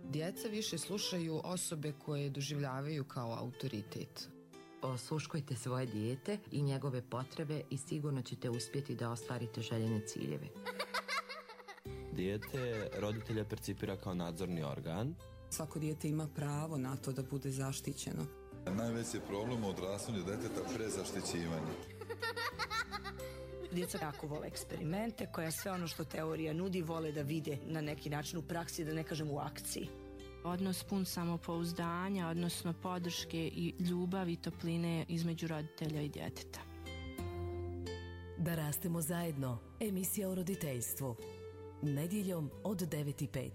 Djeca više slušaju osobe koje doživljavaju kao autoritet. Osluškujte svoje dijete i njegove potrebe i sigurno ćete uspjeti da ostvarite željene ciljeve. Dijete roditelja percipira kao nadzorni organ. Svako dijete ima pravo na to da bude zaštićeno. Najveći je problem u odrastanju djeteta prezaštićivanje. Djeca jako vole eksperimente, koja sve ono što teorija nudi vole da vide na neki način u praksi, da ne kažem u akciji. Odnos pun samopouzdanja, odnosno podrške i ljubavi i topline između roditelja i djeteta. Da rastemo zajedno. Emisija o roditeljstvu. Nedjeljom od 9:05.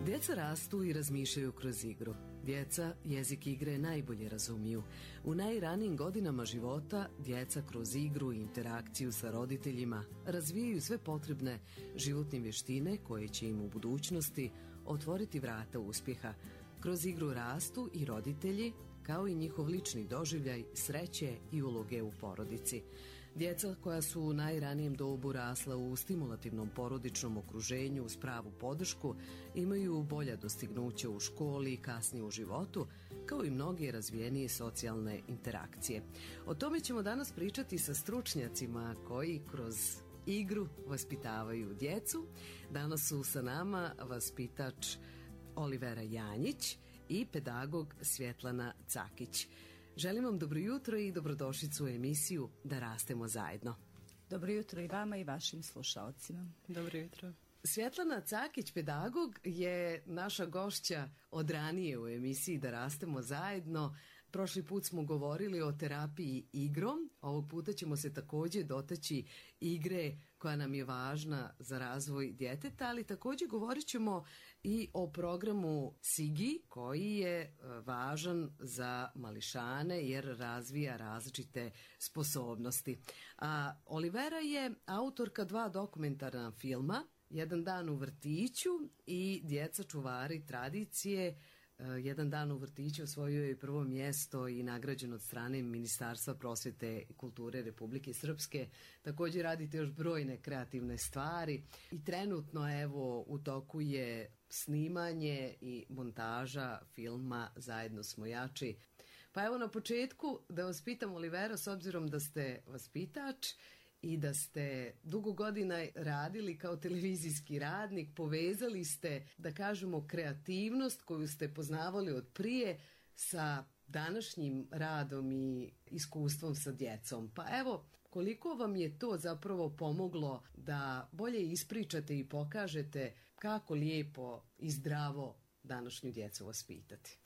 Djeca rastu i razmišljaju kroz igru. Djeca jezik igre najbolje razumiju. U najranijim godinama života djeca kroz igru i interakciju sa roditeljima razvijaju sve potrebne životne vještine koje će im u budućnosti otvoriti vrata uspjeha. Kroz igru rastu i roditelji, kao i njihov lični doživljaj, sreće i uloge u porodici. Djeca koja su u najranijem dobu rasla u stimulativnom porodičnom okruženju uz pravu podršku imaju bolja dostignuća u školi i kasnije u životu, kao i mnoge razvijenije socijalne interakcije. O tome ćemo danas pričati sa stručnjacima koji kroz igru vaspitavaju djecu. Danas su sa nama vaspitač Olivera Janjić i pedagog Svjetlana Cakić. Želim vam dobro jutro i dobrodošlicu u emisiju Da rastemo zajedno. Dobro jutro i vama i vašim slušalcima. Dobro jutro. Svjetlana Cakić, pedagog, je naša gošća od ranije u emisiji Da rastemo zajedno. Prošli put smo govorili o terapiji igrom, ovog puta ćemo se također dotaći igre koja nam je važna za razvoj djeteta, ali također govorit ćemo i o programu SIGI koji je važan za mališane jer razvija različite sposobnosti. A Olivera je autorka 2 dokumentarna filma, Jedan dan u vrtiću i Djeca čuvari tradicije. Jedan dan u vrtiću osvojio je prvo mjesto i nagrađen od strane Ministarstva prosvjete i kulture Republike Srpske. Također radite još brojne kreativne stvari i trenutno evo u toku je snimanje i montaža filma Zajedno smo jači. Pa evo na početku da vas pitam, Olivera, s obzirom da ste vaspitač i da ste dugo godina radili kao televizijski radnik, povezali ste, da kažemo, kreativnost koju ste poznavali od prije sa današnjim radom i iskustvom sa djecom. Pa evo, koliko vam je to zapravo pomoglo da bolje ispričate i pokažete kako lijepo i zdravo današnju djecu vaspitati?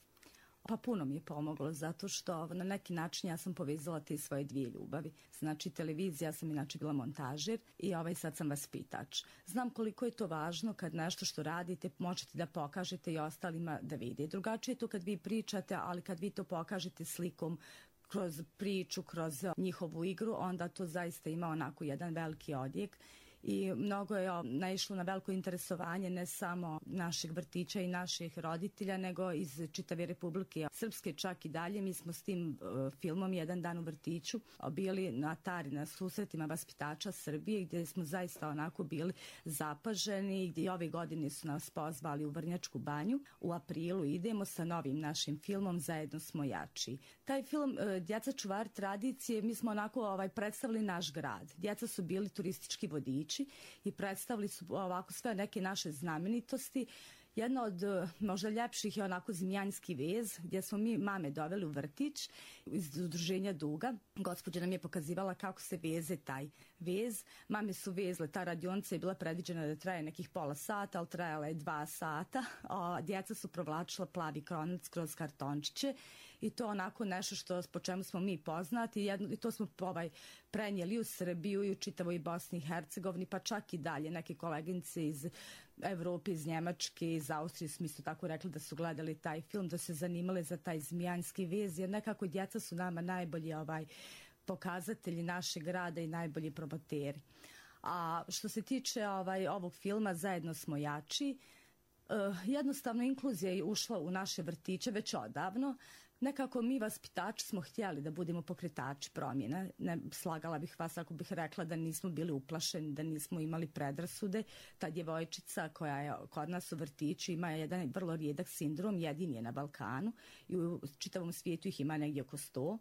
Pa puno mi je pomoglo zato što na neki način ja sam povezala te svoje 2 ljubavi. Znači televizija, ja sam inače bila montažer i sad sam vaspitač. Znam koliko je to važno kad nešto što radite možete da pokažete i ostalima da vide. Drugačije je to kad vi pričate, ali kad vi to pokažete slikom, kroz priču, kroz njihovu igru, onda to zaista ima onako jedan veliki odjek. I mnogo je naišlo na veliko interesovanje ne samo naših vrtića i naših roditelja, nego iz čitave Republike Srpske čak i dalje. Mi smo s tim filmom Jedan dan u vrtiću bili na Tari, na susretima vaspitača Srbije, gdje smo zaista onako bili zapaženi, gdje ove godine su nas pozvali u Vrnjačku banju. U aprilu idemo sa novim našim filmom Zajedno smo jači. Taj film Djeca čuvari tradicije, mi smo onako predstavili naš grad. Djeca su bili turistički vodiči i predstavili su ovako sve neke naše znamenitosti. Jedna od možda ljepših je onako Zmijanski vez, gdje smo mi mame doveli u vrtić iz udruženja Duga. Gospođa nam je pokazivala kako se veze taj vez. Mame su vezle, ta radionica je bila predviđena da traje nekih pola sata, ali trajala je 2 sata. Djeca su provlačila plavi kronac kroz kartončiće i to onako nešto po čemu smo mi poznati i to smo prenijeli u Srbiju i u čitavoj Bosni i Hercegovini, pa čak i dalje. Neke koleginice iz Evrope, iz Njemačke, iz Austrije smo isto tako rekli da su gledali taj film, da se zanimale za taj Zmijanski vez, jer nekako djeca su nama najbolji pokazatelji našeg rada i najbolji promoteri. A što se tiče ovog filma Zajedno smo jači, jednostavno inkluzija je ušla u naše vrtiće već odavno. Nekako mi vaspitači smo htjeli da budemo pokretači promjene. Ne slagala bih vas ako bih rekla da nismo bili uplašeni, da nismo imali predrasude. Ta djevojčica koja je kod nas u vrtiću ima jedan vrlo rijedak sindrom, jedini je na Balkanu i u čitavom svijetu ih ima negdje oko 100.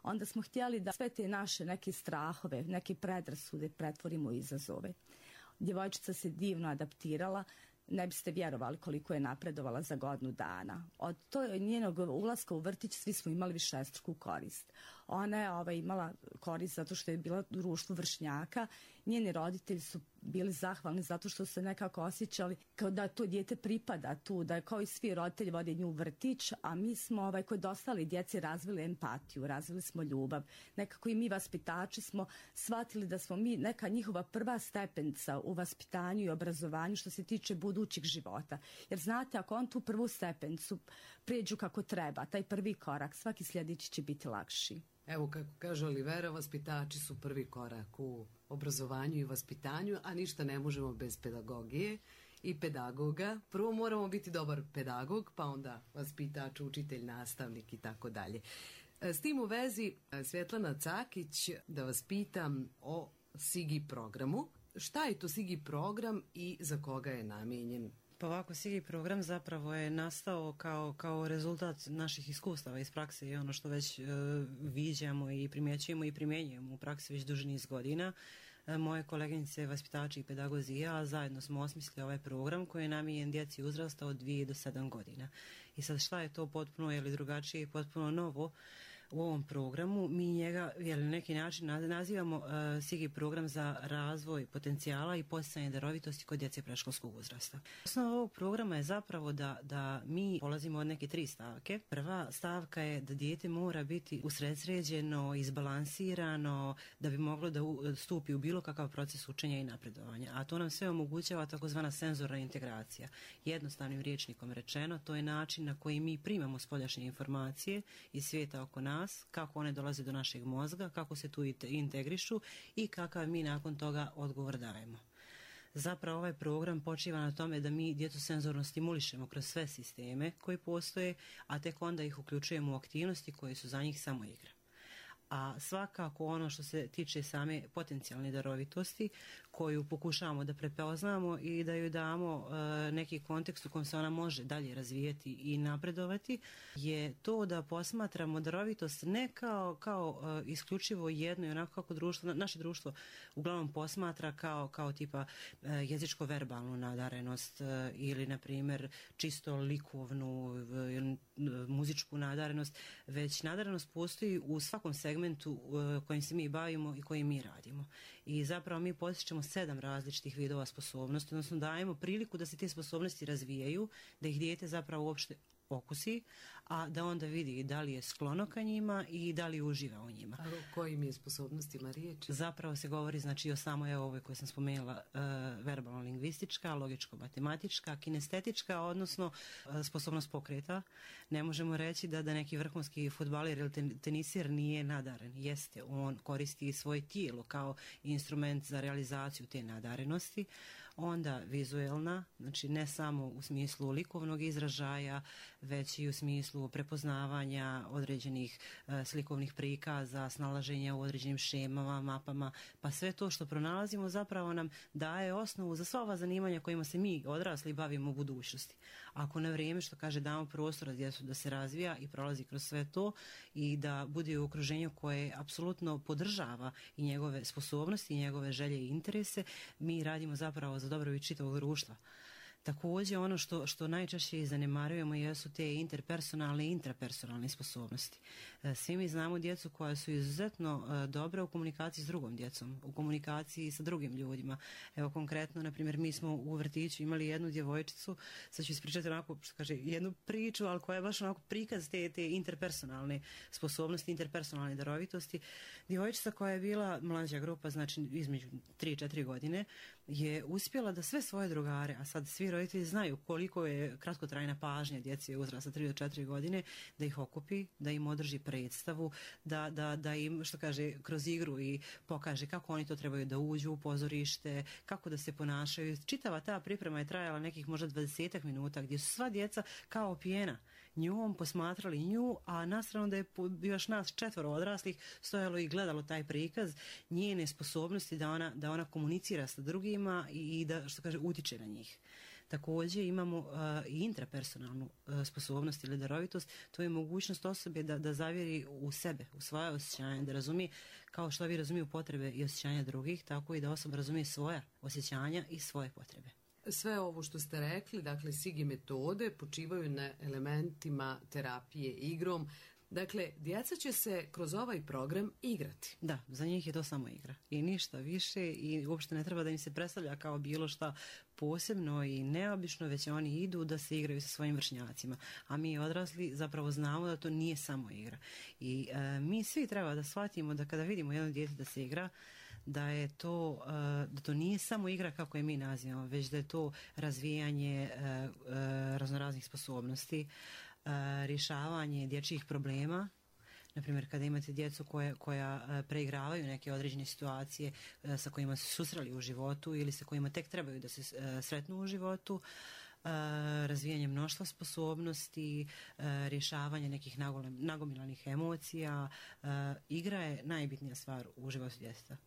Onda smo htjeli da sve te naše neke strahove, neke predrasude pretvorimo u izazove. Djevojčica se divno adaptirala, ne biste vjerovali koliko je napredovala za godinu dana. Od njenog ulaska u vrtić svi smo imali višestruku korist. Ona je imala korist zato što je bila u društvu vršnjaka. Njeni roditelji su bili zahvalni zato što su se nekako osjećali kao da to dijete pripada tu, da je kao i svi roditelji vode nju u vrtić, a mi smo kod ostali djeci razvili empatiju, razvili smo ljubav. Nekako i mi vaspitači smo shvatili da smo mi neka njihova prva stepenca u vaspitanju i obrazovanju što se tiče budućih života. Jer znate, ako on tu prvu stepencu prijeđu kako treba, taj prvi korak, svaki sljedeći će biti lakši. Evo, kako kaže Olivera, vaspitači su prvi korak u obrazovanju i vaspitanju, a ništa ne možemo bez pedagogije i pedagoga. Prvo moramo biti dobar pedagog, pa onda vaspitač, učitelj, nastavnik i tako dalje. S tim u vezi, Svjetlana Cakić, da vas pitam o SIGI programu. Šta je to SIGI program i za koga je namijenjen? Pa ovako, SIGI program zapravo je nastao kao rezultat naših iskustava iz prakse i ono što već viđamo i primjećujemo i primjenjujemo u praksi već duži niz godina. Moje koleginice, vaspitači i pedagozi i ja zajedno smo osmislili ovaj program koji je namijenjen djeci uzrasta od 2 do 7 godina. I sad šta je to potpuno ili drugačije i potpuno novo u ovom programu? Mi njega na neki način nazivamo SIGI program za razvoj potencijala i poticanje darovitosti kod djece predškolskog uzrasta. Osnova ovog programa je zapravo da mi polazimo od neke 3 stavke. Prva stavka je da dijete mora biti usredsređeno, izbalansirano, da bi moglo da stupi u bilo kakav proces učenja i napredovanja. A to nam sve omogućava takozvana senzorna integracija. Jednostavnim rječnikom rečeno, to je način na koji mi primamo spoljašnje informacije iz svijeta oko nas, kako one dolaze do našeg mozga, kako se tu integrišu i kakav mi nakon toga odgovor dajemo. Zapravo ovaj program počiva na tome da mi djecu senzorno stimulišemo kroz sve sisteme koji postoje, a tek onda ih uključujemo u aktivnosti koje su za njih samo igra. A svakako ono što se tiče same potencijalne darovitosti koju pokušavamo da prepoznamo i da joj damo neki kontekst u kojem se ona može dalje razvijeti i napredovati, je to da posmatramo darovitost ne kao isključivo jedno i onako kako društvo, naše društvo uglavnom posmatra kao tipa jezičko-verbalnu nadarenost ili na primjer čisto likovnu muzičku nadarenost, već nadarenost postoji u svakom segmentu kojim se mi bavimo i kojim mi radimo. I zapravo mi postičemo 7 različitih vidova sposobnosti, odnosno dajemo priliku da se te sposobnosti razvijaju, da ih dijete zapravo uopšte okusi, a da onda vidi da li je sklono ka njima i da li uživa u njima. A o kojim je sposobnostima riječ? Zapravo se govori o samoj ovoj koje sam spomenula, verbalno-lingvistička, logičko-matematička, kinestetička, odnosno sposobnost pokreta. Ne možemo reći da neki vrhunski fudbaler ili tenisir nije nadaren. Jeste, on koristi svoje tijelo kao instrument za realizaciju te nadarenosti. Onda vizuelna, znači ne samo u smislu likovnog izražaja, već i u smislu prepoznavanja određenih slikovnih prikaza, snalaženja u određenim šemama, mapama, pa sve to što pronalazimo zapravo nam daje osnovu za sva ova zanimanja kojima se mi odrasli bavimo u budućnosti. Ako na vrijeme, što kaže, damo prostora djecu da se razvija i prolazi kroz sve to i da bude u okruženju koje apsolutno podržava i njegove sposobnosti, i njegove želje i interese, mi radimo zapravo za dobrobit čitavog društva. Također ono što najčešće i zanemarujemo jesu te interpersonalne i intrapersonalne sposobnosti. Svi mi znamo djecu koja su izuzetno dobra u komunikaciji s drugom djecom, u komunikaciji sa drugim ljudima. Evo konkretno, na primjer, mi smo u vrtiću imali jednu djevojčicu, sad ću ispričati onako, što kaže, jednu priču, ali koja je baš onako prikaz te interpersonalne sposobnosti, interpersonalne darovitosti. Djevojčica koja je bila mlađa grupa, znači između 3-4 godine, je uspjela da sve svoje drugare, a sad svi roditelji znaju koliko je kratkotrajna pažnja djeci uzrasta 3 do 4 godine, da ih okupi, da im održi predstavu, da im, što kaže, kroz igru i pokaže kako oni to trebaju da uđu u pozorište, kako da se ponašaju. Čitava ta priprema je trajala nekih možda 20 minuta gdje su sva djeca kao opijena njom, posmatrali nju, a na stranu da je još nas 4 odraslih stojalo i gledalo taj prikaz njene sposobnosti da ona komunicira sa drugima i da, što kaže, utiče na njih. Također imamo i intrapersonalnu sposobnost ili darovitost, to je mogućnost osobe da zavjeri u sebe, u svoje osjećanja, da razumije kao što vi razumiju potrebe i osjećanja drugih, tako i da osoba razumije svoja osjećanja i svoje potrebe. Sve ovo što ste rekli, dakle, SIGI metode počivaju na elementima terapije igrom. Dakle, djeca će se kroz ovaj program igrati. Da, za njih je to samo igra i ništa više i uopšte ne treba da im se predstavlja kao bilo šta posebno i neobično, već oni idu da se igraju sa svojim vršnjacima. A mi odrasli zapravo znamo da to nije samo igra. I mi svi treba da shvatimo da kada vidimo jedno dijete da se igra, da to nije samo igra kako je mi nazivamo, već da je to razvijanje raznoraznih sposobnosti, rješavanje dječjih problema. Naprimjer, kada imate djecu koja preigravaju neke određene situacije sa kojima se susreli u životu ili sa kojima tek trebaju da se sretnu u životu, razvijanje mnoštva sposobnosti, rješavanje nekih nagomilanih emocija. Igra je najbitnija stvar u životu djeteta.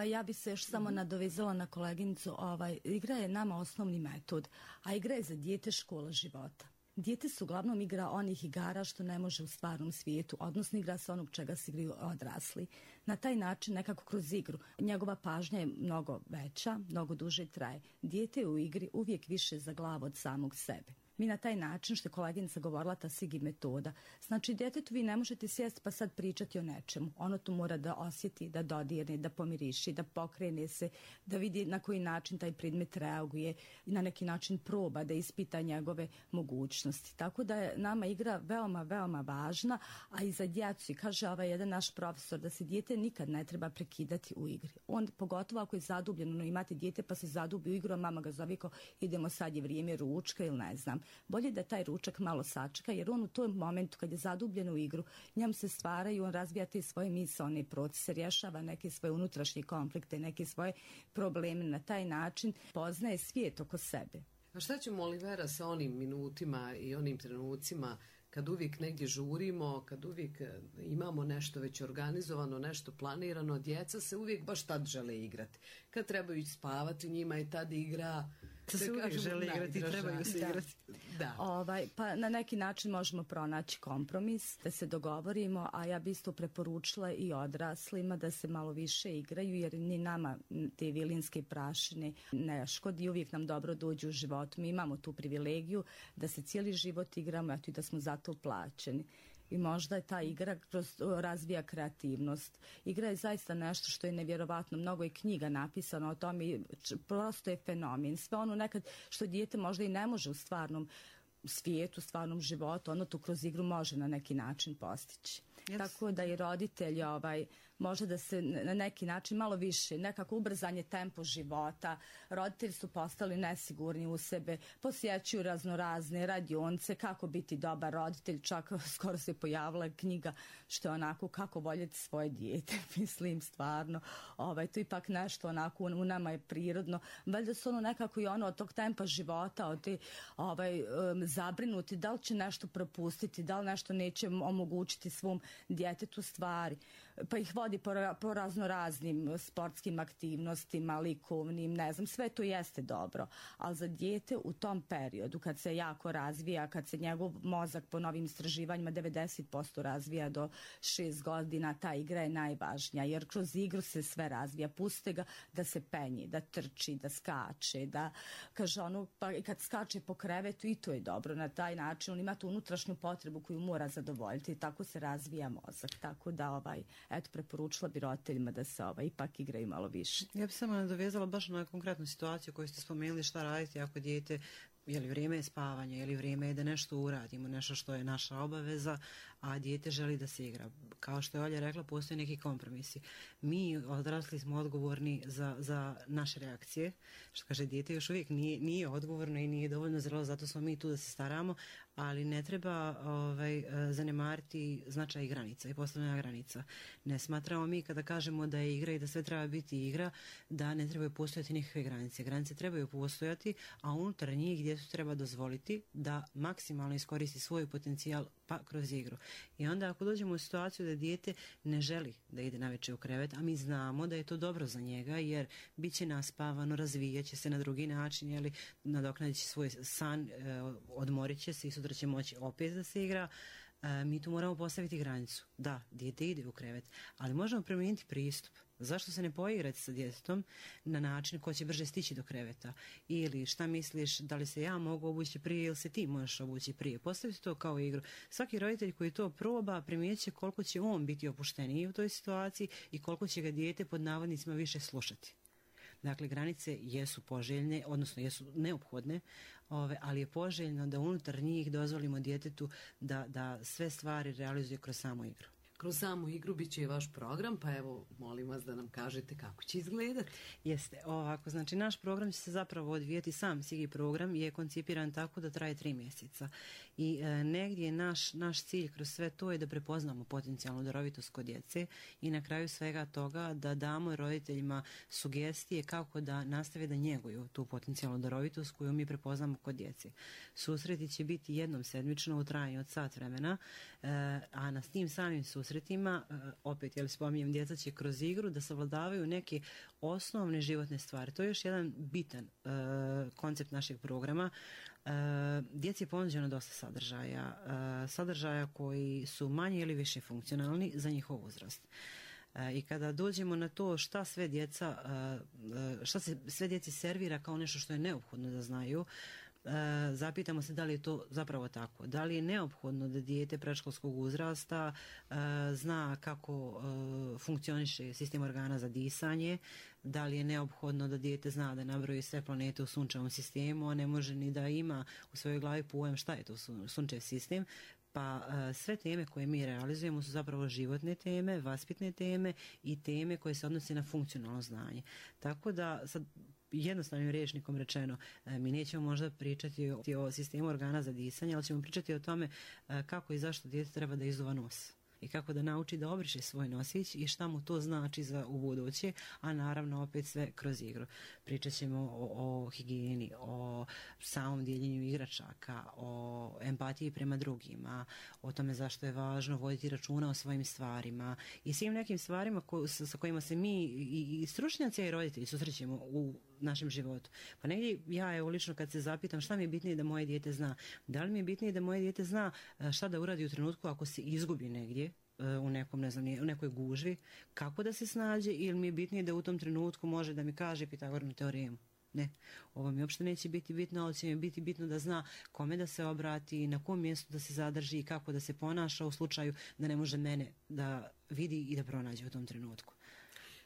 Ja bi se još samo nadovezala na koleginicu. Igra je nama osnovni metod, a igra je za dijete škola života. Dijete se uglavnom igra onih igara što ne može u stvarnom svijetu, odnosno igra se onog čega se igraju odrasli. Na taj način, nekako kroz igru, njegova pažnja je mnogo veća, mnogo duže traje. Dijete je u igri uvijek više za glavu od samog sebe. Mi na taj način, što je koleginica govorila, ta SIGI metoda, znači djetetu vi ne možete sjesti pa sad pričati o nečemu. Ono tu mora da osjeti, da dodirne, da pomiriši, da pokrene se, da vidi na koji način taj predmet reaguje i na neki način proba da ispita njegove mogućnosti. Tako da je nama igra veoma, veoma važna, a i za djecu. I kaže jedan naš profesor da se dijete nikad ne treba prekidati u igri. On, pogotovo ako je zadubljeno, imate dijete pa se zadubi u igru, a mama ga zove kao idemo sad je vrijeme ručka ili ne znam. Bolje da taj ručak malo sačeka, jer on u tom momentu kad je zadubljen u igru, njemu se stvaraju, on razvija te svoje misaone procese, rješava neke svoje unutrašnje konflikte, neke svoje probleme, na taj način poznaje svijet oko sebe. A šta ćemo, Olivera, sa onim minutima i onim trenucima kad uvijek negdje žurimo, kad uvijek imamo nešto već organizovano, nešto planirano, djeca se uvijek baš tad žele igrati. Kad trebaju ići spavati, njima je tad igra... Se uvijek žele igrati, trebaju se igrati. Da. Pa na neki način možemo pronaći kompromis, da se dogovorimo, a ja bi isto preporučila i odraslima da se malo više igraju, jer ni nama te vilinske prašine ne škodi, uvijek nam dobro dođu u životu. Mi imamo tu privilegiju da se cijeli život igramo, a i da smo zato plaćeni. I možda je ta igra razvija kreativnost. Igra je zaista nešto što je nevjerovatno. Mnogo je knjiga napisano o tome, prosto je fenomen. Sve ono nekad što dijete možda i ne može u stvarnom svijetu, stvarnom životu, ono tu kroz igru može na neki način postići. Yes. Tako da i roditelji može da se na neki način malo više, nekako ubrzanje tempo života. Roditelji su postali nesigurni u sebe, posjećuju raznorazne radionce, kako biti dobar roditelj, čak skoro se pojavila knjiga što je onako kako voljeti svoje dijete, mislim stvarno. To ipak nešto onako u nama je prirodno. Valjda su nekako i od tog tempa života, od te zabrinuti da li će nešto propustiti, da li nešto neće omogućiti svom djetetu stvari. Pa ih vodi po raznoraznim sportskim aktivnostima, likovnim, ne znam, sve to jeste dobro. Ali za dijete u tom periodu, kad se jako razvija, kad se njegov mozak po novim istraživanjima 90% razvija do 6 godina, ta igra je najvažnija, jer kroz igru se sve razvija. Puste ga da se penji, da trči, da skače, da kaže pa kad skače po krevetu i to je dobro. Na taj način on ima tu unutrašnju potrebu koju mora zadovoljiti i tako se razvija mozak. Tako da preporučila bi roditeljima da se ipak igraju malo više. Ja bih samo nadovezala baš na konkretnu situaciju koju ste spomenuli, šta raditi ako dijete, je li vrijeme je spavanja, je li vrijeme je da nešto uradimo, nešto što je naša obaveza, a dijete želi da se igra. Kao što je Olja rekla, postoje neki kompromisi. Mi odrasli smo odgovorni za naše reakcije. Što kaže, dijete još uvijek nije odgovorno i nije dovoljno zrelo, zato smo mi tu da se staramo, ali ne treba zanemariti značaj granica i postavljanja granica. Ne smatramo mi kada kažemo da je igra i da sve treba biti igra, da ne trebaju postojati nikakve granice. Granice trebaju postojati, a unutar njih djetetu treba dozvoliti da maksimalno iskoristi svoj potencijal pa kroz igru. I onda ako dođemo u situaciju da dijete ne želi da ide navečer u krevet, a mi znamo da je to dobro za njega jer bit će naspavano, razvijat će se na drugi način, nadoknadit će svoj san, odmorit će se i sutra će moći opet da se igra. Mi tu moramo postaviti granicu. Da, dijete ide u krevet, ali možemo promijeniti pristup. Zašto se ne poigrati sa djetetom na način ko će brže stići do kreveta? Ili šta misliš, da li se ja mogu obući prije ili se ti možeš obući prije? Postaviti to kao igru. Svaki roditelj koji to proba primijetit će koliko će on biti opušteniji u toj situaciji i koliko će ga dijete pod navodnicima više slušati. Dakle, granice jesu poželjne, odnosno jesu neophodne, ali je poželjno da unutar njih dozvolimo djetetu da sve stvari realizuje kroz samu igru. Kroz samu igru bit će i vaš program, pa evo, molim vas da nam kažete kako će izgledati. Jeste, ovako, znači naš program će se zapravo odvijeti, sam SIGI program je koncipiran tako da traje 3 mjeseca. I negdje naš cilj kroz sve to je da prepoznamo potencijalnu darovitost kod djece i na kraju svega toga da damo roditeljima sugestije kako da nastave da njeguju tu potencijalnu darovitost koju mi prepoznamo kod djece. Susreti će biti jednom sedmično u trajanju od sat vremena, a na tim samim susretima, opet, spominjem, djeca će kroz igru da savladavaju neke osnovne životne stvari. To je još jedan bitan koncept našeg programa. Djeci je ponuđeno dosta sadržaja koji su manje ili više funkcionalni za njihov uzrast. I kada dođemo na to šta se sve djeci servira kao nešto što je neophodno da znaju, zapitamo se da li je to zapravo tako. Da li je neophodno da dijete predškolskog uzrasta zna kako funkcioniše sistem organa za disanje, da li je neophodno da dijete zna da nabroji sve planete u sunčevom sistemu, a ne može ni da ima u svojoj glavi pojam šta je to sunčev sistem. Pa sve teme koje mi realizujemo su zapravo životne teme, vaspitne teme i teme koje se odnose na funkcionalno znanje. Tako da, sad jednostavnim rječnikom rečeno, mi nećemo možda pričati o sistemu organa za disanje, ali ćemo pričati o tome kako i zašto dijete treba da izduva nos i kako da nauči da obriše svoj nosić i šta mu to znači za ubuduće, a naravno opet sve kroz igru. Pričat ćemo o higijeni, o samom dijeljenju igračaka, o empatiji prema drugima, o tome zašto je važno voditi računa o svojim stvarima i svim nekim stvarima sa kojima se mi i stručnjaci i roditelji susrećemo u našem životu. Pa negdje ja lično kad se zapitam šta mi je bitnije da moje dijete zna, da li mi je bitnije da moje dijete zna šta da uradi u trenutku ako se izgubi negdje u nekom, ne znam, u nekoj gužvi, kako da se snađe, ili mi je bitnije da u tom trenutku može da mi kaže Pitagorinu teoremu. Ne, ovo mi uopšte neće biti bitno, ali će mi biti bitno da zna kome da se obrati, na kom mjestu da se zadrži i kako da se ponaša u slučaju da ne može mene da vidi i da pronađe u tom trenutku.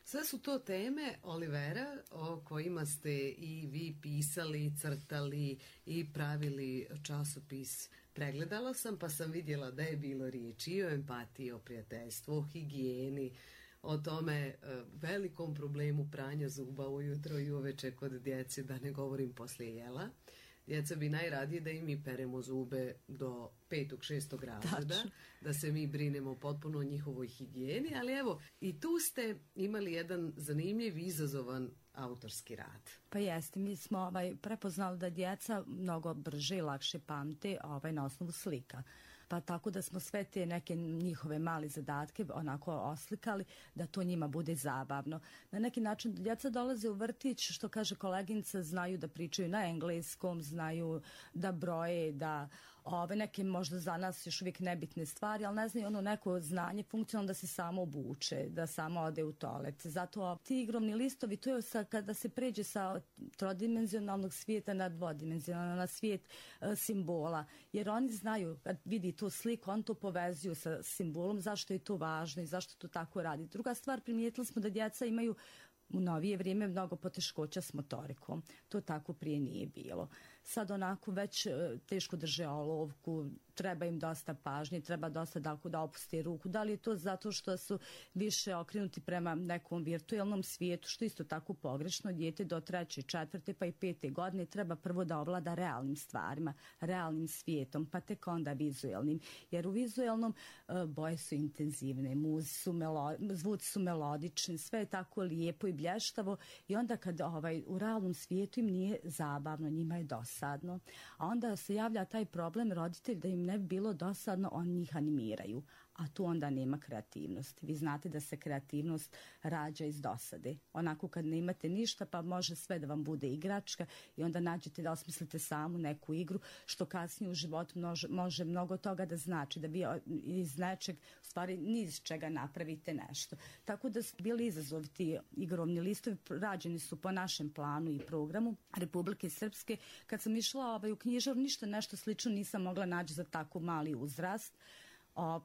Sve su to teme, Olivera, o kojima ste i vi pisali, crtali i pravili časopis. Pregledala sam pa sam vidjela da je bilo riječi i o empatiji, o prijateljstvu, o higijeni, o tome velikom problemu pranja zuba ujutro i uveče kod djece, da ne govorim poslije jela. Djeca bi najradije da i mi peremo zube do 5. 6. razreda, da se mi brinemo potpuno o njihovoj higijeni, ali evo, i tu ste imali jedan zanimljiv, izazovan autorski rad. Pa jeste, mi smo prepoznali da djeca mnogo brže i lakše pamte na osnovu slika. Pa tako da smo sve te neke njihove male zadatke onako oslikali da to njima bude zabavno. Na neki način djeca dolaze u vrtić, što kaže koleginica, znaju da pričaju na engleskom, znaju da broje, da neke možda za nas još uvijek nebitne stvari, ali ne znaju neko znanje funkcionalno da se samo obuče, da samo ode u toalet. Zato ti igrovni listovi, to je kada se pređe sa trodimenzionalnog svijeta na dvodimenzionalno, na svijet simbola, jer oni znaju, kad vidi tu sliku, on to povezuju sa simbolom, zašto je to važno i zašto to tako radi. Druga stvar, primijetili smo da djeca imaju u novije vrijeme mnogo poteškoća s motorikom. To tako prije nije bilo. sad onako već teško drže olovku, treba im dosta pažnje, treba dosta da opusti ruku. Da li je to zato što su više okrenuti prema nekom virtualnom svijetu, što isto tako pogrešno, dijete do 3., 4. pa i 5. godine treba prvo da ovlada realnim stvarima, realnim svijetom, pa tek onda vizualnim. Jer u vizualnom boje su intenzivne, zvuci su melodični, sve je tako lijepo i blještavo i onda kad u realnom svijetu im nije zabavno, njima je dosadno. A onda se javlja taj problem roditelj da im ne bi bilo dosadno, oni njih animiraju, a tu onda nema kreativnosti. Vi znate da se kreativnost rađa iz dosade. Onako kad ne imate ništa, pa može sve da vam bude igračka i onda nađete da osmislite samu neku igru, što kasnije u životu može mnogo toga da znači, da vi iz nečeg, u stvari ni iz čega napravite nešto. Tako da su bili izazovi ti igrovni listovi, rađeni su po našem planu i programu Republike Srpske. Kad sam išla u knjižaru, ništa nešto slično nisam mogla naći za tako mali uzrast.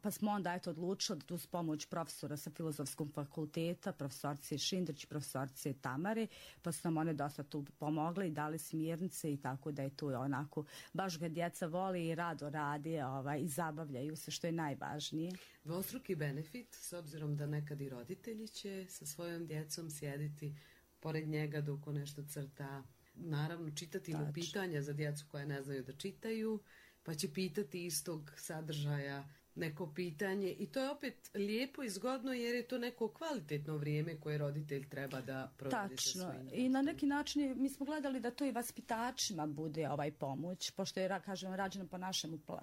Pa smo onda odlučili da uz pomoć profesora sa Filozofskog fakulteta, profesorice Šindrić i profesorice Tamare, pa su nam one dosta tu pomogle i dali smjernice i tako da je tu onako, baš ga djeca voli i rado radi i zabavljaju se, što je najvažnije. Dvostruki benefit, s obzirom da nekad i roditelji će sa svojom djecom sjediti pored njega dok on nešto crta, naravno čitati mu pitanja za djecu koja ne znaju da čitaju, pa će pitati istog sadržaja neko pitanje i to je opet lijepo i zgodno jer je to neko kvalitetno vrijeme koje roditelj treba da provede sa svojim djecom. I na neki način mi smo gledali da to i vaspitačima bude pomoć, pošto je, kažem, rađeno po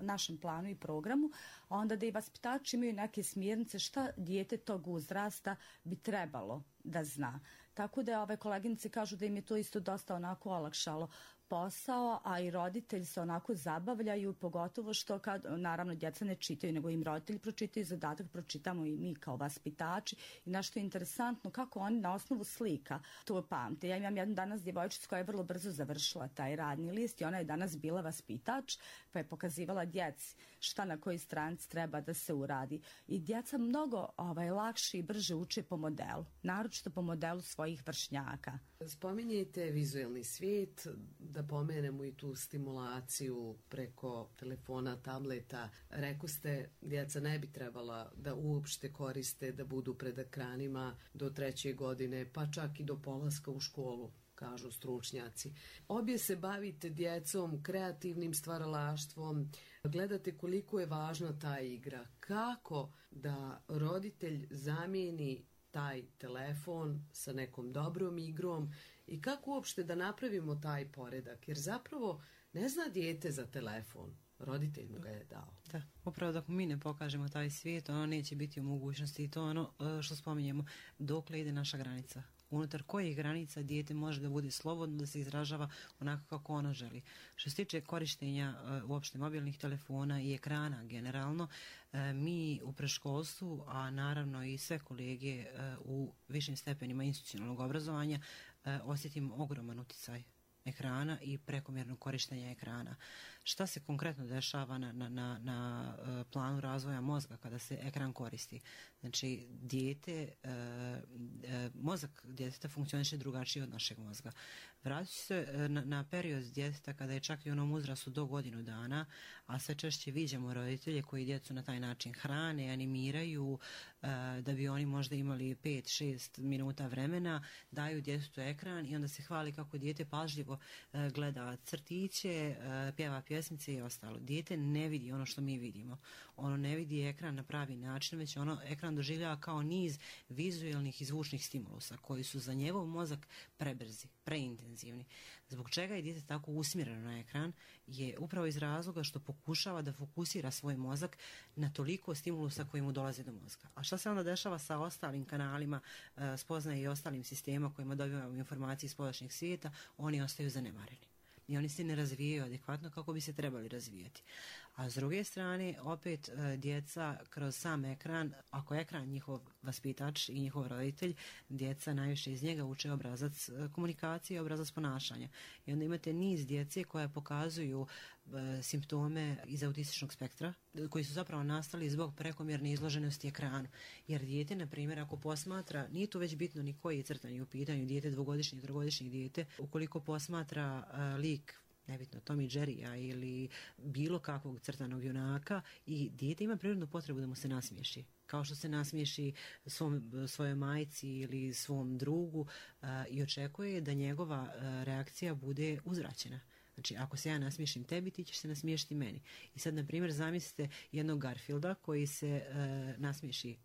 našem planu i programu, a onda da i vaspitači imaju neke smjernice šta dijete tog uzrasta bi trebalo da zna. Tako da ove koleginice kažu da im je to isto dosta onako olakšalo posao, a i roditelji se onako zabavljaju, pogotovo što kad, naravno, djeca ne čitaju, nego im roditelji pročitaju zadatak, pročitamo i mi kao vaspitači. I nešto je interesantno, kako oni na osnovu slika to pamte. Ja imam jednu danas djevojčicu koja je vrlo brzo završila taj radni list i ona je danas bila vaspitač, pa je pokazivala djeci šta na kojoj stranici treba da se uradi. I djeca mnogo lakše i brže uče po modelu, naročito po modelu svojih vršnjaka. Spominjete vizualni svijet, da pomenemo i tu stimulaciju preko telefona, tableta. Rekoste, djeca ne bi trebala da uopšte koriste, da budu pred ekranima do 3. godine, pa čak i do polaska u školu, kažu stručnjaci. Obje se bavite djecom, kreativnim stvaralaštvom, gledate koliko je važna ta igra. Kako da roditelj zamijeni taj telefon sa nekom dobrom igrom i kako uopšte da napravimo taj poredak, jer zapravo ne zna dijete za telefon, roditelj mu ga je dao. Da, upravo dok mi ne pokažemo taj svijet, ono neće biti u mogućnosti i to ono što spominjemo, dokle ide naša granica. Unutar kojih granica dijete može da bude slobodno, da se izražava onako kako ono želi. Što se tiče korištenja uopšte mobilnih telefona i ekrana generalno, mi u predškolstvu, a naravno i sve kolege u višim stepenima institucionalnog obrazovanja, osjetimo ogroman utjecaj ekrana i prekomjerno korištenje ekrana. Šta se konkretno dešava na planu razvoja mozga kada se ekran koristi? Znači, mozak djeteta funkcioniše drugačije od našeg mozga. Vratit ću se na period djeteta kada je čak i u onom uzrastu do 1 dana, a sve češće viđamo roditelje koji djecu na taj način hrane, animiraju, da bi oni možda imali 5-6 minuta vremena, daju djetetu ekran i onda se hvali kako dijete pažljivo gleda crtiće, pjeva pjesmice i ostalo. Dijete ne vidi ono što mi vidimo. Ono ne vidi ekran na pravi način, već ono ekran doživljava kao niz vizualnih i zvučnih stimulusa koji su za njegov mozak prebrzi, preintenzivni. Zbog čega je dijete tako usmjereno na ekran je upravo iz razloga što pokušava da fokusira svoj mozak na toliko stimulusa koji mu dolaze do mozga. A šta se onda dešava sa ostalim kanalima spoznaje i ostalim sistema kojima dobivamo informacije iz spoljašnjeg svijeta? Oni ostaju zanemareni. I oni se ne razvijaju adekvatno kako bi se trebali razvijati. A s druge strane, opet djeca kroz sam ekran, ako je ekran njihov vaspitač i njihov roditelj, djeca najviše iz njega uče obrazac komunikacije, obrazac ponašanja. I onda imate niz djece koja pokazuju simptome iz autističnog spektra, koji su zapravo nastali zbog prekomjerne izloženosti ekranu. Jer dijete, na primjer, ako posmatra, nije to već bitno ni koji je crtani u pitanju, dijete 2-godišnje, 3-godišnje dijete, ukoliko posmatra lik nebitno Tommy Jerrya ili bilo kakvog crtanog junaka i dijete ima prirodnu potrebu da mu se nasmiješi. Kao što se nasmiješi svojoj majci ili svom drugu i očekuje da njegova reakcija bude uzvraćena. Znači, ako se ja nasmiješim tebi, ti ćeš se nasmiješiti meni. I sad, na primjer, zamislite jednog Garfielda koji se nasmiješi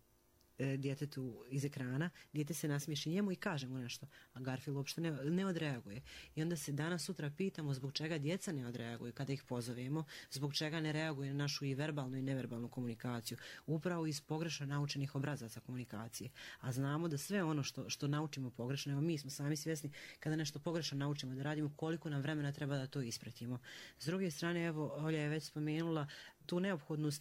djetetu iz ekrana, dijete se nasmiješi njemu i kaže mu nešto, a Garfield uopšte ne odreaguje. I onda se danas sutra pitamo zbog čega djeca ne odreaguju kada ih pozovemo, zbog čega ne reaguju na našu i verbalnu i neverbalnu komunikaciju, upravo iz pogrešno naučenih obrazaca komunikacije. A znamo da sve ono što naučimo pogrešno, evo mi smo sami svjesni kada nešto pogrešno naučimo da radimo, koliko nam vremena treba da to ispratimo. S druge strane, evo, Olja je već spomenula tu neophodnu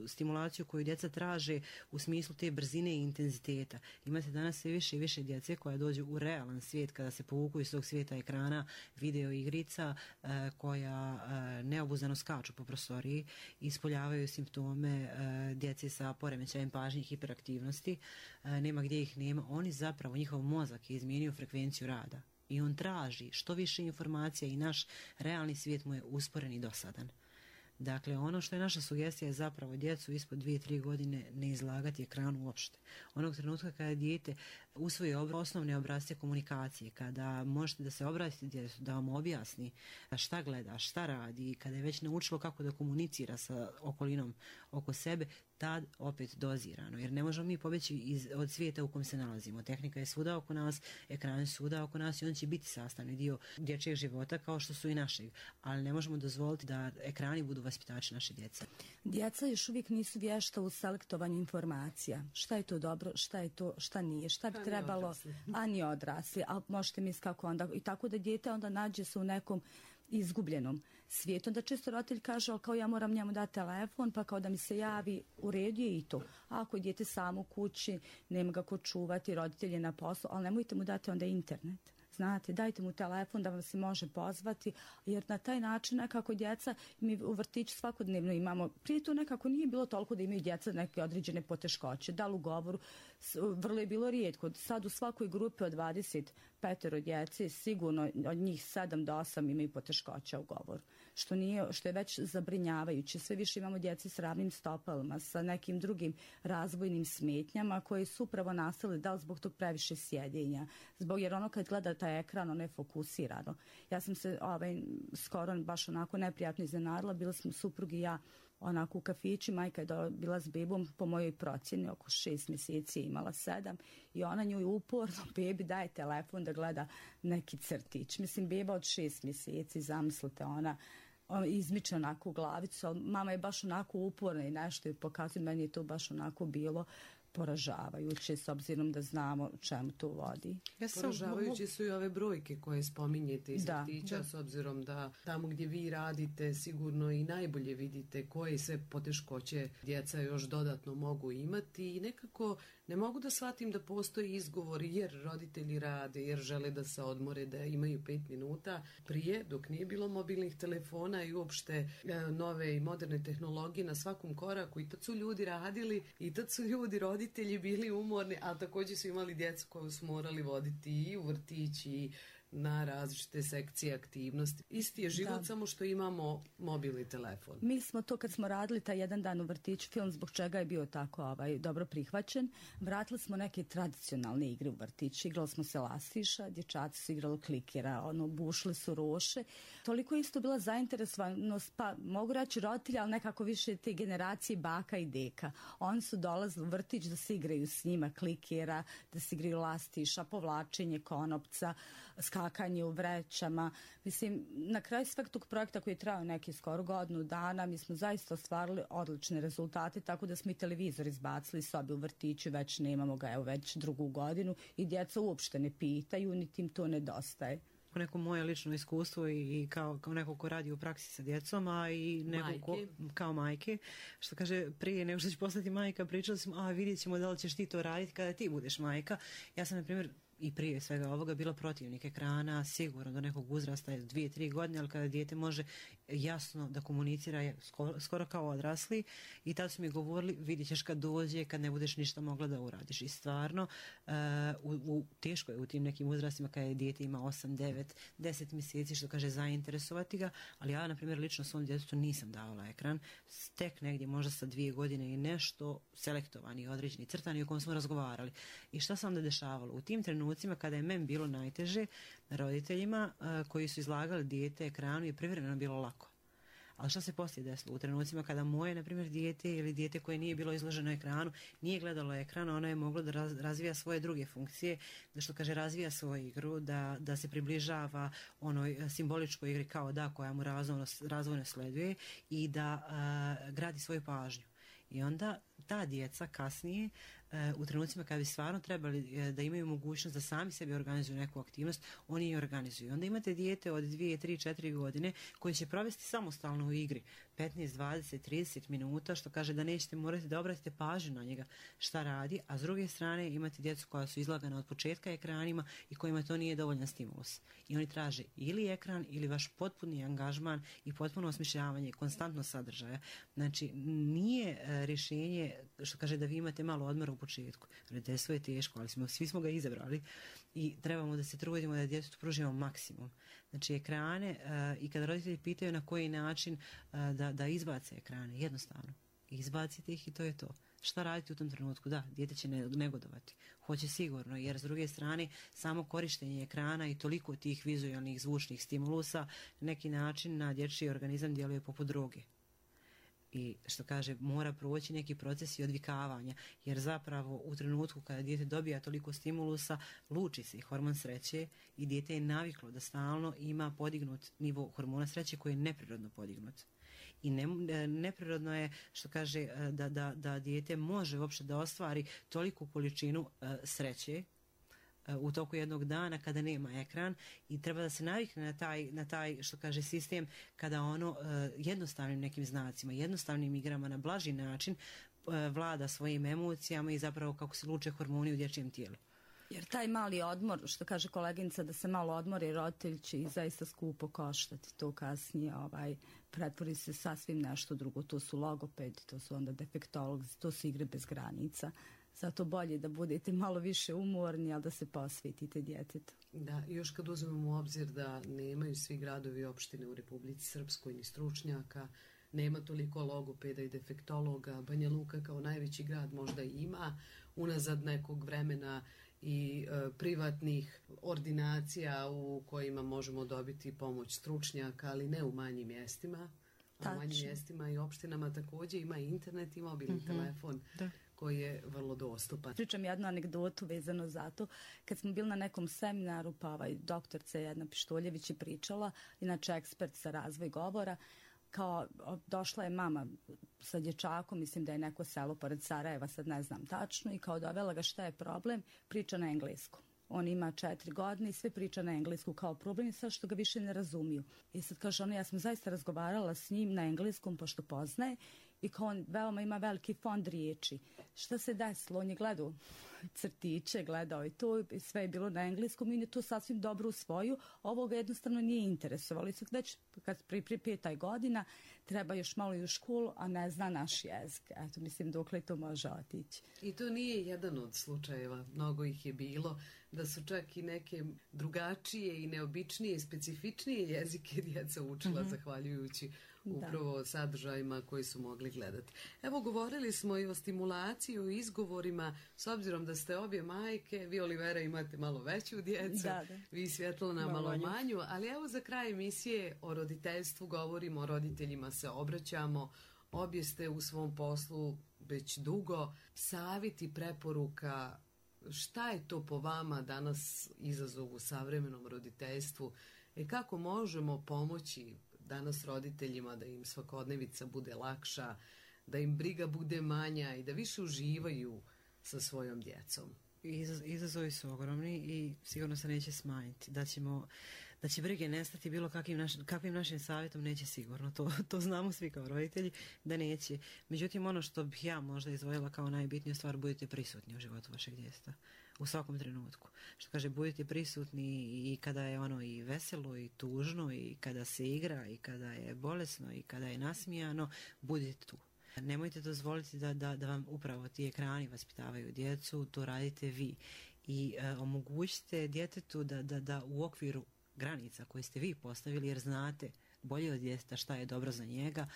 stimulaciju koju djeca traže u smislu te brzine i intenziteta. Imate danas sve više i više djece koja dođu u realan svijet kada se povuku iz tog svijeta ekrana, video igrica koja neobuzdano skaču po prostoriji i ispoljavaju simptome djece sa poremećajem pažnje i hiperaktivnosti. Nema gdje ih nema. Oni zapravo, njihov mozak je izmijenio frekvenciju rada i on traži što više informacija i naš realni svijet mu je usporen i dosadan. Dakle, ono što je naša sugestija je zapravo djecu ispod 2-3 godine ne izlagati ekranu uopšte. Onog trenutka kada dijete usvoji osnovne obrasce komunikacije, kada možete da se obratite djetetu, da vam objasni šta gleda, šta radi, kada je već naučilo kako da komunicira sa okolinom oko sebe, tad opet dozirano. Jer ne možemo mi pobjeći od svijeta u kojem se nalazimo. Tehnika je svuda oko nas, ekran je svuda oko nas i on će biti sastavni dio dječjeg života kao što su i našeg. Ali ne možemo dozvoliti da ekrani budu vaspitači naše djece. Djeca još uvijek nisu vješta u selektovanju informacija. Šta je to dobro, šta je to, šta nije, šta bi trebalo, a ni odrasli. A možete misliti kako onda. I tako da dijete onda nađe se u nekom izgubljenom svijetu. Onda često roditelj kaže, kao ja moram njemu dati telefon, pa kao da mi se javi, u redu je i to. A ako je dijete samo u kući, nema ga ko čuvati, roditelj je na poslu, ali nemojte mu dati onda internet. Znate, dajte mu telefon da vam se može pozvati, jer na taj način nekako djeca, mi u vrtiću svakodnevno imamo, prije to nekako nije bilo toliko da imaju djeca neke određene poteškoće, da li u govoru, vrlo je bilo rijetko. Sad u svakoj grupi od 25 djece sigurno od njih 7 do 8 imaju poteškoća u govoru, što je već zabrinjavajuće. Sve više imamo djece s ravnim stopalima, sa nekim drugim razvojnim smetnjama koje su upravo nastale da li zbog tog previše sjedenja, jer ono kad gleda taj ekran, ono je fokusirano. Ja sam se skoro baš onako neprijatno iznenadila, bila smo suprug i ja onako u kafiću, majka je bila s bebom, po mojoj procjeni oko 6 mjeseci je imala 7 i ona nju uporno bebi daje telefon da gleda neki crtić. Mislim, beba od 6 mjeseci, zamislite, ona izmiče onako u glavicu, ali mama je baš onako uporna i nešto je pokazuje, meni je to baš onako bilo poražavajuće s obzirom da znamo čemu to vodi. Poražavajuće su i ove brojke koje spominjete iz vrtića, s obzirom da tamo gdje vi radite sigurno i najbolje vidite koje sve poteškoće djeca još dodatno mogu imati i nekako ne mogu da shvatim da postoji izgovor jer roditelji rade, jer žele da se odmore, da imaju 5 minuta prije, dok nije bilo mobilnih telefona i uopšte nove i moderne tehnologije na svakom koraku i tad su ljudi radili i tad su roditelji bili umorni, ali također su imali djecu koju su morali voditi i u vrtić i na različite sekcije aktivnosti. Isti je život, samo što imamo mobilni telefon. Mi smo to kad smo radili taj jedan dan u vrtiću, film zbog čega je bio tako dobro prihvaćen, vratili smo neke tradicionalne igre u vrtiću. Igrali smo se lastiša, dječaci su igrali klikera, bušli su roše. Toliko isto bila zainteresovanost, pa mogu reći roditelji, ali nekako više te generacije baka i deka. Oni su dolazili u vrtić da se igraju s njima klikera, da se igraju lastiša, povlačenje konopca, skakanje u vrećama. Mislim, na kraju sveg tog projekta koji je trajao neki skoro godinu dana, mi smo zaista ostvarili odlične rezultate, tako da smo i televizor izbacili sobi u vrtiću, već nemamo ga, već 2. godinu i djeca uopšte ne pitaju, niti im to nedostaje. Neko moje lično iskustvo i kao neko ko radi u praksi sa djecom, a i neko kao majke, što kaže prije nego što će postati majka, pričali smo, vidjet ćemo da li ćeš ti to raditi kada ti budeš majka. Ja sam, na primjer, i prije svega ovoga bilo protivnik ekrana, sigurno do nekog uzrasta je 2-3 godine, ali kada dijete može jasno da komunicira je skoro kao odrasli i tad su mi govorili vidit ćeš kad dođe, kad ne budeš ništa mogla da uradiš. I stvarno teško je u tim nekim uzrastima kada je dijete ima 8, 9, 10 mjeseci, što kaže zainteresovati ga, ali ja na primjer lično svom djetetu nisam davala ekran, tek negdje možda sa 2 godine i nešto selektovani, određeni, crtani o kom smo razgovarali. I šta se onda dešavalo? U tim trenucima kada je meni bilo najteže, roditeljima koji su izlagali dijete ekranu je privremeno bilo lako. Ali šta se poslije desilo? U trenucima kada moje, na primjer, dijete ili dijete koje nije bilo izloženo ekranu, nije gledalo ekran, ono je moglo da razvija svoje druge funkcije, da što kaže razvija svoju igru, da se približava onoj simboličkoj igri kao da koja mu razvojno sleduje i da gradi svoju pažnju. I onda ta djeca kasnije u trenucima kada bi stvarno trebali da imaju mogućnost da sami sebi organizuju neku aktivnost, oni je organizuju. Onda imate dijete od 2, 3, 4 godine koje će provesti samostalno u igri 15, 20, 30 minuta, što kaže da nećete morati da obratite pažnju na njega šta radi, a s druge strane imate djecu koja su izlagana od početka ekranima i kojima to nije dovoljan stimulus. I oni traže ili ekran ili vaš potpuni angažman i potpuno osmišljavanje konstantno sadržaja. Znači nije rješenje što kaže da vi imate malo odmora u početku. Roditeljstvo je teško, ali svi smo ga izabrali i trebamo da se trudimo da djetetu pružimo maksimum. Znači ekrane i kada roditelji pitaju na koji način da izbace ekrane, jednostavno izbacite ih i to je to. Šta raditi u tom trenutku? Da, dijete će negodovati. Hoće sigurno, jer s druge strane samo korištenje ekrana i toliko tih vizualnih zvučnih stimulusa na neki način na dječji organizam djeluje poput droge. I što kaže, mora proći neki proces i odvikavanja, jer zapravo u trenutku kada dijete dobija toliko stimulusa, luči se hormon sreće i dijete je naviklo da stalno ima podignut nivo hormona sreće koji je neprirodno podignut. I neprirodno je što kaže da dijete može uopšte da ostvari toliku količinu sreće u toku jednog dana kada nema ekran i treba da se navikne na taj što kaže sistem kada ono jednostavnim nekim znacima, jednostavnim igrama na blaži način vlada svojim emocijama i zapravo kako se luče hormoni u dječjem tijelu. Jer taj mali odmor, što kaže koleginica, da se malo odmori, roditelj će i zaista skupo koštati to kasnije, pretvori se sasvim nešto drugo, to su logopedi, to su onda defektolozi, to su igre bez granica. Zato bolje da budete malo više umorni, ali da se posvetite djetetu. Da, još kad uzmemo u obzir da nemaju svi gradovi i opštine u Republici Srpskoj ni stručnjaka, nema toliko logopeda i defektologa, Banja Luka kao najveći grad možda ima unazad nekog vremena i privatnih ordinacija u kojima možemo dobiti pomoć stručnjaka, ali ne u manjim mjestima. U manjim mjestima i opštinama također ima internet i mobilni telefon. Da. Koji je vrlo dostupan. Pričam jednu anegdotu vezano za to. Kad smo bili na nekom seminaru, pa doktorca Jedna Pištoljević je pričala, inače ekspert za razvoj govora, kao došla je mama sa dječakom, mislim da je neko selo pored Sarajeva, sad ne znam tačno, i kao dovela ga šta je problem, priča na engleskom. On ima 4 godine i sve priča na englesku kao problem i sad što ga više ne razumiju. I sad kaže ona, ja sam zaista razgovarala s njim na engleskom pošto poznaje i kao on veoma ima veliki fond riječi. Šta se desilo? On je gledao crtiće, gledao i to i sve je bilo na engleskom i on je to sasvim dobro usvojio. Ovo ga jednostavno nije interesovalo. I sad već kad pri 5 godina treba još malo i u školu, a ne zna naš jezik. Eto, mislim, dokle to može otići. I to nije jedan od slučajeva, mnogo ih je bilo, da su čak i neke drugačije i neobičnije i specifičnije jezike djeca učila zahvaljujući upravo sadržajima koji su mogli gledati. Evo, govorili smo i o stimulaciji, o izgovorima, s obzirom da ste obje majke, vi Olivera imate malo veću djecu, vi Svjetlana malo manju, ali evo za kraj emisije o roditeljstvu govorimo, o roditeljima se obraćamo, obje ste u svom poslu već dugo, savjeti, preporuka, šta je to po vama danas izazov u savremenom roditeljstvu i kako možemo pomoći danas roditeljima da im svakodnevica bude lakša, da im briga bude manja i da više uživaju sa svojom djecom? Izazovi su ogromni i sigurno se neće smanjiti. Da će brige nestati bilo kakvim našim savjetom, neće sigurno. To znamo svi kao roditelji da neće. Međutim, ono što bih ja možda izdvojila kao najbitniju stvar, budite prisutni u životu vašeg djeteta. U svakom trenutku. Što kaže, budite prisutni i kada je ono i veselo i tužno i kada se igra i kada je bolesno i kada je nasmijano, budite tu. Nemojte dozvoliti da vam upravo ti ekrani vaspitavaju djecu, to radite vi. I omogućite djetetu da u okviru granica koje ste vi postavili, jer znate bolje od djeteta šta je dobro za njega,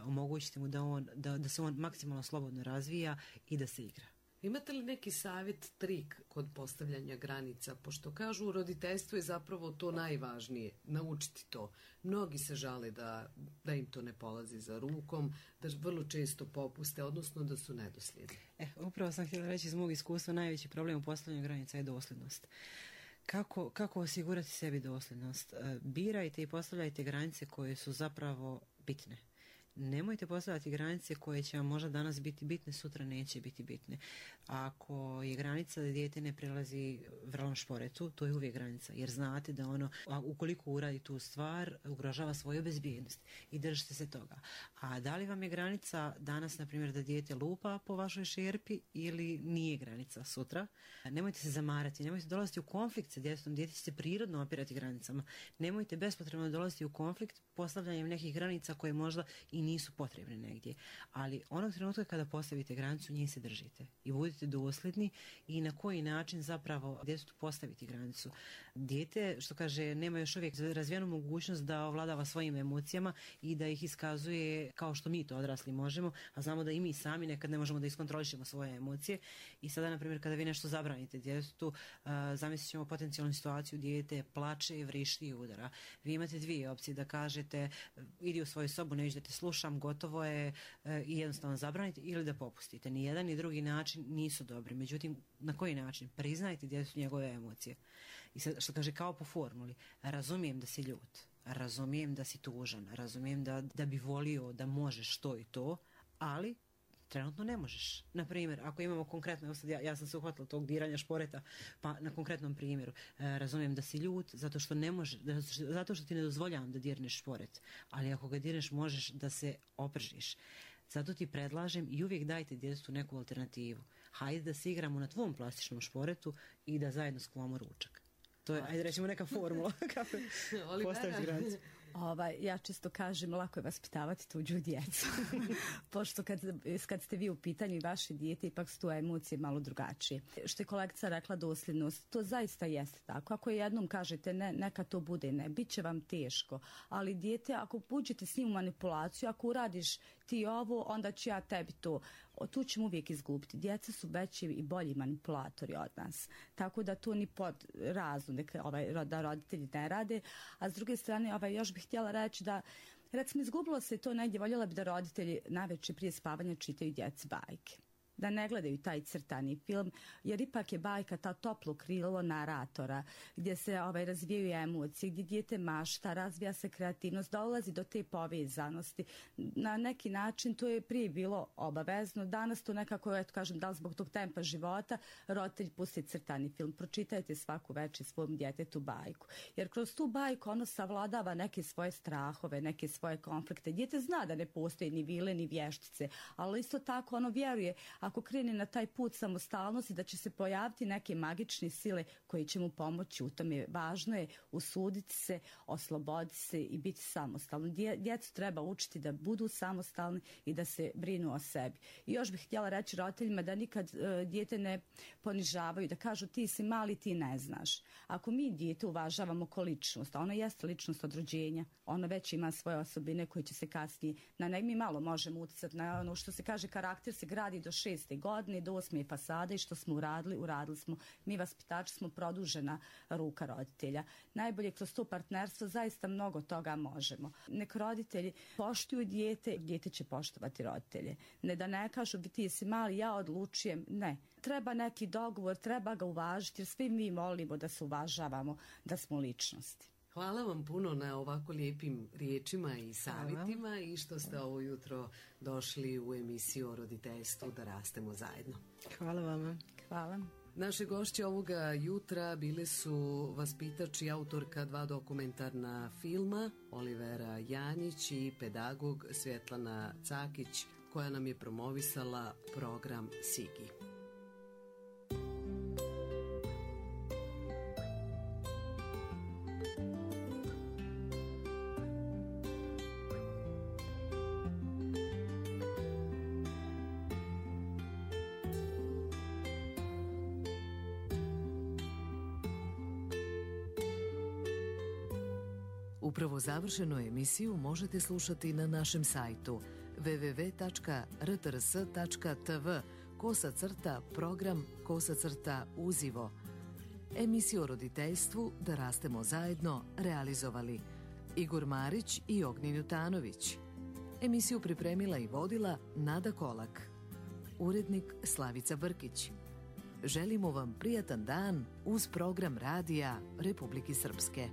omogućite mu da se on maksimalno slobodno razvija i da se igra. Imate li neki savjet, trik kod postavljanja granica? Pošto kažu u roditeljstvu je zapravo to najvažnije, naučiti to. Mnogi se žale da im to ne polazi za rukom, da vrlo često popuste, odnosno da su nedosljedni. Upravo sam htjela reći iz mog iskustva, najveći problem u postavljanju granica je dosljednost. Kako osigurati sebi dosljednost? Birajte i postavljajte granice koje su zapravo bitne. Nemojte postavljati granice koje će vam možda danas biti bitne, sutra neće biti bitne. Ako je granica da dijete ne prelazi vrlom šporetu, to je uvijek granica, jer znate da ono, ukoliko uradi tu stvar, ugrožava svoju bezbjednost i držite se toga. A da li vam je granica danas, na primjer, da dijete lupa po vašoj šerpi ili nije granica sutra? Nemojte se zamarati, nemojte dolaziti u konflikt sa djetetom, dijete će se prirodno opirati granicama. Nemojte bespotrebno dolaziti u konflikt postavljanjem nekih granica koje možda i nisu potrebne negdje. Ali onog trenutka kada postavite granicu, nje se držite i budite dosljedni i na koji način zapravo djetetu postaviti granicu. Dijete, što kaže, nema još uvijek razvijenu mogućnost da ovladava svojim emocijama i da ih iskazuje kao što mi to odrasli možemo, a znamo da i mi sami nekad ne možemo da iskontrolišemo svoje emocije. I sada, na primjer, kada vi nešto zabranite djetetu, zamislit ćemo potencijalnu situaciju, dijete plače, vrišti i udara. Vi imate dvije opcije, da kažete idi u svoju sobu, neću da te slušam, gotovo je, i jednostavno zabranite, ili da popustite. Ni jedan ni drugi način nisu dobri. Međutim, na koji način? Priznajte djetetu njegove emocije. I sad, što kaže, kao po formuli, razumijem da si ljut, razumijem da si tužan, razumijem da bi volio da možeš to i to, ali trenutno ne možeš. Na primjer, ako imamo konkretno, ja sam se uhvatila tog diranja šporeta, pa na konkretnom primjeru, razumijem da si ljut zato što ne može, zato što ti ne dozvoljavam da dirneš šporet, ali ako ga dirneš možeš da se opržiš. Zato ti predlažem i uvijek dajte djetetu neku alternativu. Hajde da se igramo na tvom plastičnom šporetu i da zajedno skuvamo ručak. To je, ajde rećemo, neka formula kako postaviti granicu. Ja čisto kažem, lako je vaspitavati tuđu djecu. Pošto kad ste vi u pitanju i vaše dijete, ipak su tu emocije malo drugačije. Što je kolegica rekla, dosljednost, to zaista jeste tako. Ako jednom kažete ne, neka to bude ne, bit će vam teško. Ali dijete, ako uđete s njim u manipulaciju, ako uradiš ti ovo, onda ću ja tebi to. Tu ćemo uvijek izgubiti. Djeca su veći i bolji manipulatori od nas. Tako da to ni pod razum da roditelji ne rade. A s druge strane, još bih htjela reći da, recimo, izgubilo se to negdje, voljela bi da roditelji navečer prije spavanja čitaju djeci bajke. Da ne gledaju taj crtani film, jer ipak je bajka ta toplo krilo naratora, gdje se razvijaju emocije, gdje dijete mašta, razvija se kreativnost, dolazi do te povezanosti. Na neki način to je prije bilo obavezno, danas to nekako, eto kažem, da li zbog tog tempa života, roditelj pusti crtani film. Pročitajte svaku večer svom djetetu bajku, jer kroz tu bajku ono savladava neke svoje strahove, neke svoje konflikte. Dijete zna da ne postoji ni vile, ni vještice, ali isto tako ono vjeruje, ako krene na taj put samostalnosti, da će se pojaviti neke magične sile koje će mu pomoći u tome. Važno je usuditi se, osloboditi se i biti samostalni. Djecu treba učiti da budu samostalni i da se brinu o sebi. I još bih htjela reći roditeljima da nikad dijete ne ponižavaju, da kažu ti si mali, ti ne znaš. Ako mi dijete uvažavamo ko ličnost, a ona jeste ličnost od rođenja, ona već ima svoje osobine koje će se kasnije, mi malo možemo utjecati na ono što se kaže, karakter se gradi do 6. godine, do 8. fasade, i što smo uradili smo. Mi vaspitači smo produžena ruka roditelja. Najbolje kroz to partnerstvo zaista mnogo toga možemo. Nek roditelji poštuju dijete će poštovati roditelje. Ne da ne kažu ti si mali, ja odlučujem, ne. Treba neki dogovor, treba ga uvažiti, jer svi mi volimo da se uvažavamo, da smo ličnosti. Hvala vam puno na ovako lijepim riječima i savjetima i što ste ovo jutro došli u emisiju o roditeljstvu Da rastemo zajedno. Hvala vama. Hvala. Naše gošće ovoga jutra bile su vaspitač i autorka 2 dokumentarna filma, Olivera Janjić i pedagog Svjetlana Cakić, koja nam je promovisala program Sigi. Upravo završenu emisiju možete slušati na našem sajtu www.rtrs.tv/program/uzivo. Emisiju o roditeljstvu Da rastemo zajedno realizovali Igor Marić i Ognjen Jutanović. Emisiju pripremila i vodila Nada Kolak. Urednik Slavica Brkić. Želimo vam prijatan dan uz program radija Republike Srpske.